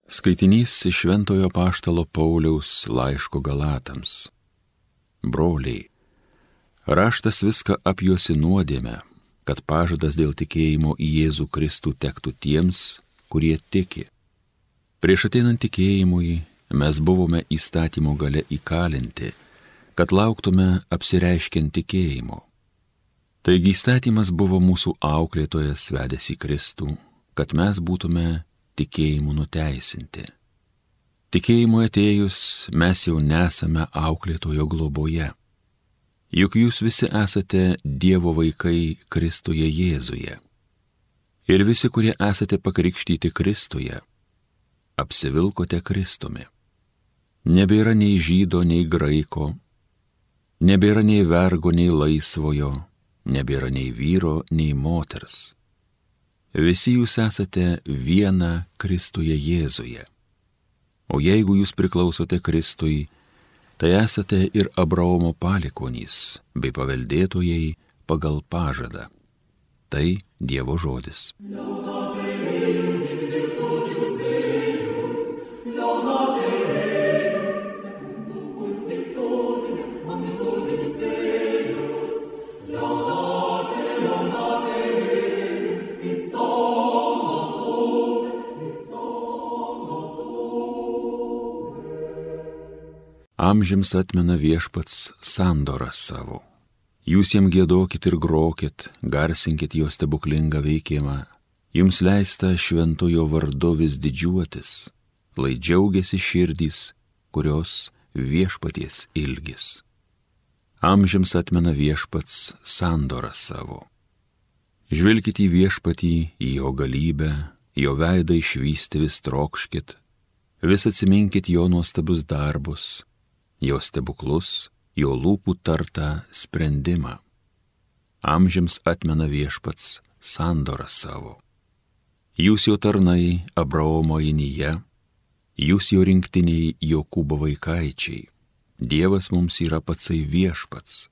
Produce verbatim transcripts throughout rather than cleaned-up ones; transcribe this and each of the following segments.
Skaitinys iš Šventojo Apaštalo Pauliaus laiško Galatams. Broliai, raštas viską apjuosi nuodėmę, kad pažadas dėl tikėjimo į Jėzų Kristų tektų tiems, kurie tiki. Prieš ateinant tikėjimui mes buvome įstatymo gale įkalinti, kad lauktume apsireiškiant tikėjimo. Taigi įstatymas buvo mūsų auklėtojas vedęs į Kristų, kad mes būtume tikėjimu nuteisinti. Tikėjimu atėjus mes jau nesame auklėtojo globoje. Juk jūs visi esate Dievo vaikai Kristuje Jėzuje. Ir visi, kurie esate pakrikštyti Kristuje, apsivilkote Kristumi. Nebėra nei žydo, nei graiko, nebėra nei vergo, nei laisvojo, nebėra nei vyro, nei moters. Visi jūs esate viena Kristuje Jėzuje. O jeigu jūs priklausote Kristui, tai esate ir Abraomo palikuonys bei paveldėtojai pagal pažadą. Tai Dievo žodis. Amžiams atmena Viešpats sandorą savo. Jūs jam giedokit ir grokit, garsinkit jo stebuklingą veikimą. Jums leista šventojo vardu vis didžiuotis, lai džiaugiasi širdys, kurios Viešpaties ilgis. Amžiams atmena Viešpats sandorą savo. Žvelkit į Viešpatį, į jo galybę, jo veidą išvysti vis trokškit, vis atsiminkit jo nuostabius darbus, jo stebuklus, jo lūpų tartą sprendimą. Amžiams atmena Viešpats sandorą savo. Jūs jo tarnai Abraomo inyje, jūs jo rinktiniai Jokūbo vaikaičiai. Dievas mums yra patsai Viešpats.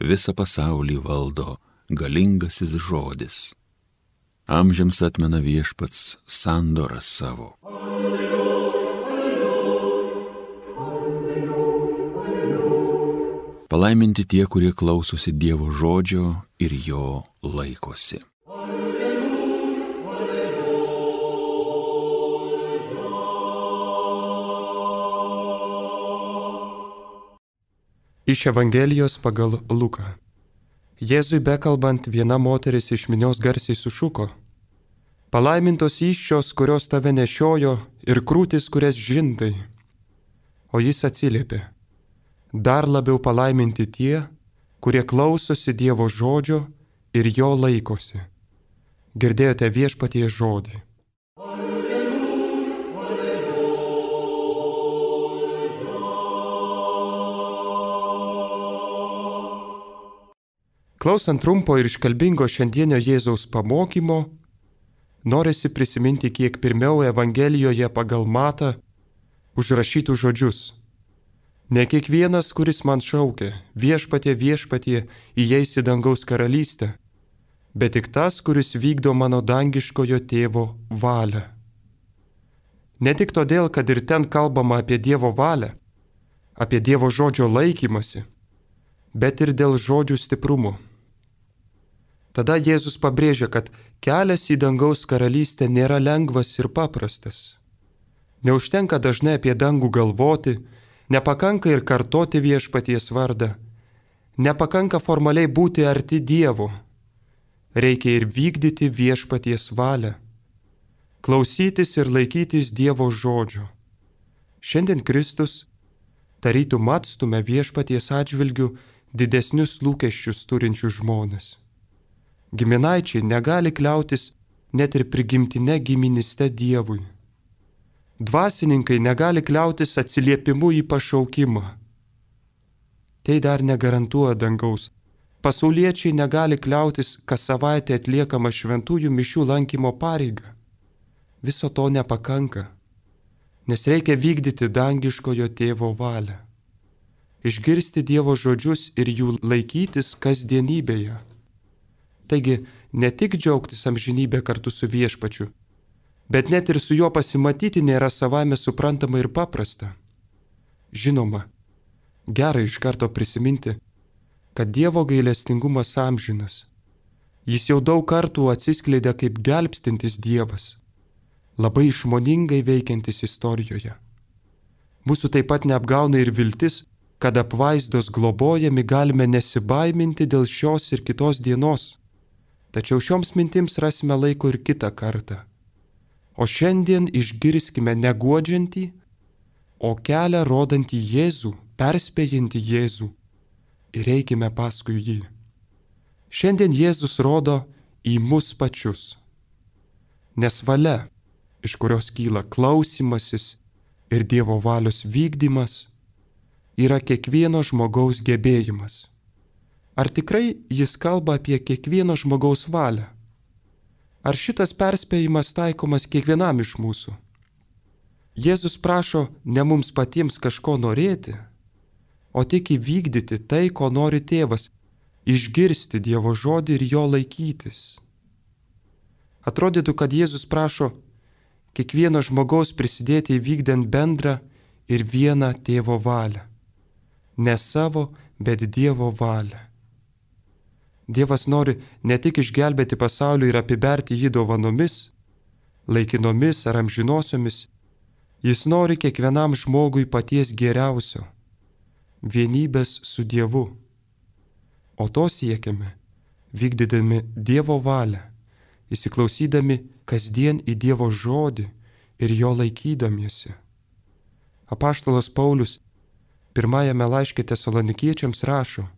Visą pasaulį valdo galingasis žodis. Amžiams atmena Viešpats sandorą savo. Palaiminti tie, kurie klausosi Dievo žodžio ir jo laikosi. Iš Evangelijos pagal Luką. Jėzui bekalbant, viena moteris iš minios garsiai sušuko: palaimintos įsčios, kurios tave nešiojo, ir krūtis, kurias žindai. O jis atsiliepė: dar labiau palaiminti tie, kurie klausosi Dievo žodžio ir jo laikosi. Girdėjote Viešpaties žodį. Klausant trumpo ir iškalbingo šiandienio Jėzaus pamokymo, norisi prisiminti kiek pirmiau Evangelijoje pagal Matą užrašytų žodžius. Ne kiekvienas, kuris man šaukia, Viešpatie, Viešpatie, įeis į dangaus karalystę, bet tik tas, kuris vykdo mano dangiškojo tėvo valią. Ne tik todėl, kad ir ten kalbama apie Dievo valią, apie Dievo žodžio laikymasi, bet ir dėl žodžių stiprumo. Tada Jėzus pabrėžia, kad kelias į dangaus karalystę nėra lengvas ir paprastas. Neužtenka dažnai apie dangų galvoti, nepakanka ir kartoti Viešpaties vardą, nepakanka formaliai būti arti Dievo, reikia ir vykdyti Viešpaties valią, klausytis ir laikytis Dievo žodžio. Šiandien Kristus tarytum atstumia Viešpaties atžvilgių didesnius lūkesčius turinčius žmones. Giminaičiai negali kliautis net ir prigimtine giministe Dievui. Dvasininkai negali kliautis atsiliepimu į pašaukimą. Tai dar negarantuoja dangaus. Pasauliečiai negali kliautis kas savaitę atliekama šventųjų mišių lankymo pareiga. Viso to nepakanka, nes reikia vykdyti dangiškojo tėvo valią. Išgirsti Dievo žodžius ir jų laikytis kasdienybėje. Taigi, ne tik džiaugtis amžinybę kartu su Viešpačiu, Bet net ir su juo pasimatyti nėra savaime suprantama ir paprasta. Žinoma, gerai iš karto prisiminti, kad Dievo gailestingumas amžinas. Jis jau daug kartų atsiskleidė kaip gelbstintis Dievas, labai išmoningai veikiantis istorijoje. Mūsų taip pat neapgauna ir viltis, kad apvaizdos globojami galime nesibaiminti dėl šios ir kitos dienos. Tačiau šioms mintims rasime laiko ir kitą kartą. O šiandien išgirskime neguodžiantį, o kelią rodantį Jėzų, perspėjantį Jėzų ir eikime paskui jį. Šiandien Jėzus rodo į mus pačius. Nes valia, iš kurios kyla klausimasis ir Dievo valios vykdymas, yra kiekvieno žmogaus gebėjimas. Ar tikrai jis kalba apie kiekvieno žmogaus valią? Ar šitas perspėjimas taikomas kiekvienam iš mūsų? Jėzus prašo ne mums patiems kažko norėti, o tik įvykdyti tai, ko nori tėvas, išgirsti Dievo žodį ir jo laikytis. Atrodytų, kad Jėzus prašo kiekvieno žmogaus prisidėti įvykdant bendrą ir vieną tėvo valią. Ne savo, bet Dievo valią. Dievas nori ne tik išgelbėti pasaulį ir apiberti jį dovanomis, laikinomis ar amžinosiomis, jis nori kiekvienam žmogui paties geriausio – vienybės su Dievu. O to siekiame, vykdydami Dievo valią, įsiklausydami kasdien į Dievo žodį ir jo laikydamiesi. Apaštalas Paulius pirmajame laiške Tesalonikiečiams rašo: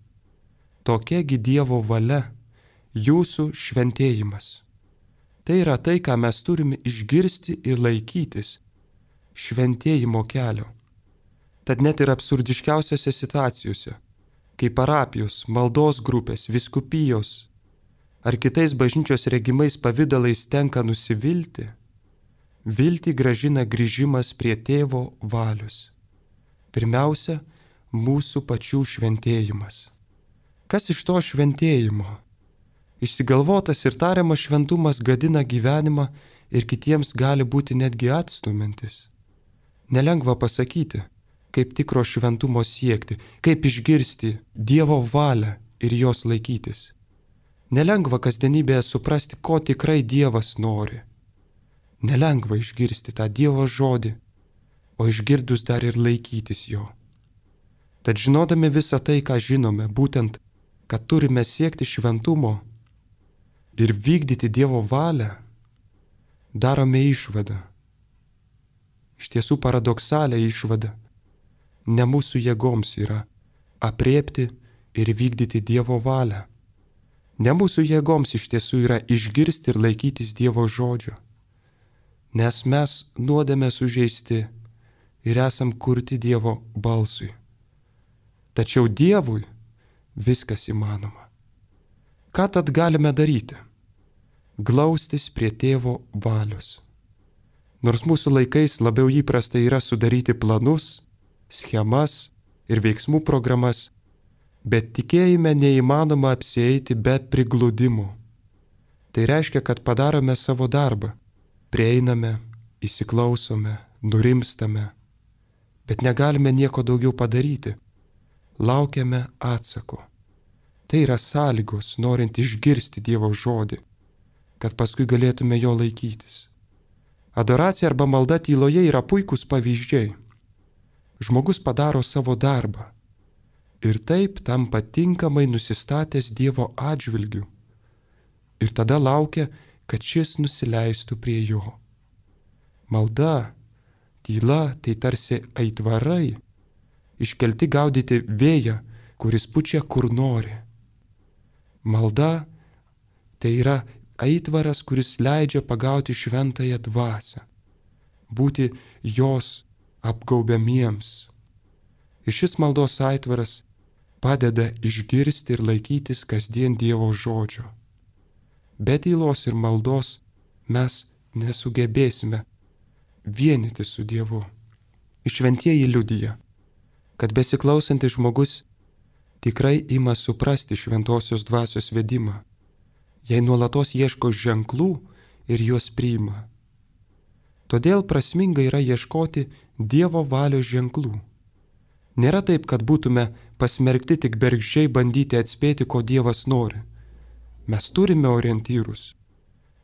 tokiagi Dievo valia, jūsų šventėjimas. Tai yra tai, ką mes turime išgirsti ir laikytis šventėjimo kelio. Tad net ir absurdiškiausiose situacijose, kai parapijos, maldos grupės, vyskupijos ar kitais bažnyčios regimais pavydalais tenka nusivilti, viltį gražina grįžimas prie tėvo valios. Pirmiausia, mūsų pačių šventėjimas. Kas iš to šventėjimo? Išsigalvotas ir tariamas šventumas gadina gyvenimą ir kitiems gali būti netgi atstumintis. Nelengva pasakyti, kaip tikro šventumo siekti, kaip išgirsti Dievo valią ir jos laikytis. Nelengva kasdienybėje suprasti, ko tikrai Dievas nori. Nelengva išgirsti tą Dievo žodį, o išgirdus dar ir laikytis jo. Tad žinodami visą tai, ką žinome, būtent kad turime siekti šventumo ir vykdyti Dievo valią, darome išvadą. Iš tiesų paradoksalią išvadą. Ne mūsų jėgoms yra apriepti ir vykdyti Dievo valią. Ne mūsų jėgoms iš tiesų yra išgirsti ir laikytis Dievo žodžio. Nes mes nuodėme sužeisti ir esam kurti Dievo balsui. Tačiau Dievui viskas įmanoma. Ką tad galime daryti? Glaustis prie tėvo valios. Nors mūsų laikais labiau įprasta yra sudaryti planus, schemas ir veiksmų programas, bet tikėjime neįmanoma apsieiti be prigludimų. Tai reiškia, kad padarome savo darbą, prieiname, įsiklausome, nurimstame, bet negalime nieko daugiau padaryti. Laukiame atsako. Tai yra sąlygos, norint išgirsti Dievo žodį, kad paskui galėtume jo laikytis. Adoracija arba malda tyloje yra puikūs pavyzdžiai. Žmogus padaro savo darbą ir taip tampa tinkamai nusistatęs Dievo atžvilgiu ir tada laukia, kad šis nusileistų prie jo. Malda, tyla tai tarsi aitvarai, iškelti gaudyti vėją, kuris pučia kur nori. Malda tai yra aitvaras, kuris leidžia pagauti šventąją dvasią, būti jos apgaubiamiems. Ir šis maldos aitvaras padeda išgirsti ir laikytis kasdien Dievo žodžio. Be tylos ir maldos mes nesugebėsime vienyti su Dievu. Šventieji liudija, kad besiklausantis žmogus tikrai ima suprasti šventosios dvasios vedimą, jei nuolatos ieško ženklų ir juos priima. Todėl prasminga yra ieškoti Dievo valios ženklų. Nėra taip, kad būtume pasmerkti tik bergždžiai bandyti atspėti, ko Dievas nori. Mes turime orientyrus.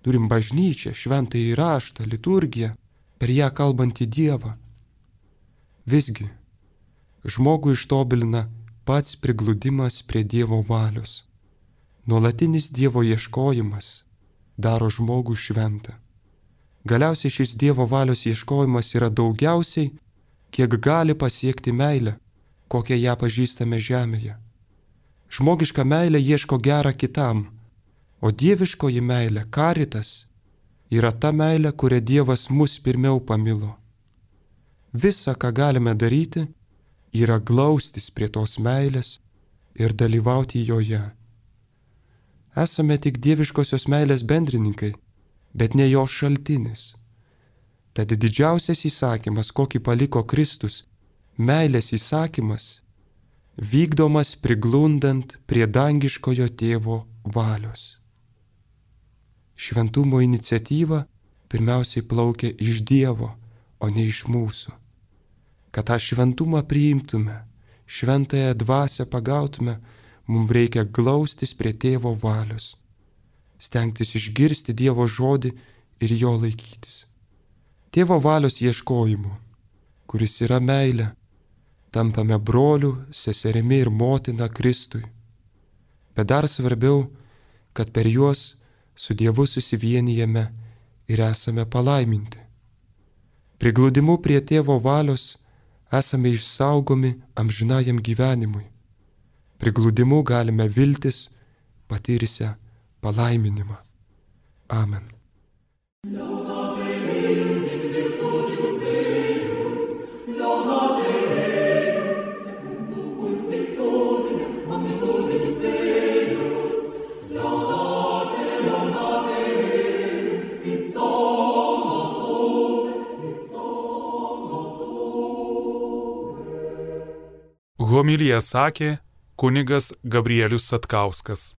Turim bažnyčią, šventąjį raštą, liturgiją, per ją kalbantį Dievą. Visgi, žmogų ištobulina pats prigludimas prie Dievo valios. Nuolatinis Dievo ieškojimas daro žmogų šventą. Galiausiai šis Dievo valios ieškojimas yra daugiausiai, kiek gali pasiekti meilę, kokią ją pažįstame žemėje. Žmogiška meilė ieško gerą kitam, o dieviškoji meilė, karitas, yra ta meilė, kurią Dievas mus pirmiau pamilo. Visa, ką galime daryti, yra glaustis prie tos meilės ir dalyvauti joje. Esame tik dieviškosios meilės bendrininkai, bet ne jos šaltinis. Tad didžiausias įsakymas, kokį paliko Kristus, meilės įsakymas, vykdomas priglundant prie dangiškojo tėvo valios. Šventumo iniciatyva pirmiausiai plaukia iš Dievo, o ne iš mūsų. Kad tą šventumą priimtume, šventąją dvasią pagautume, mums reikia glaustis prie tėvo valios, stengtis išgirsti Dievo žodį ir jo laikytis. Tėvo valios ieškojimu, kuris yra meilė, tampame brolių, seserimi ir motina Kristui. Bet dar svarbiau, kad per juos su Dievu susivienijame ir esame palaiminti. Prigludimu prie tėvo valios esame išsaugomi amžinajam gyvenimui. Prigludimu galime viltis patirsią palaiminimą. Amen. Homiliją sakė kunigas Gabrielius Satkauskas.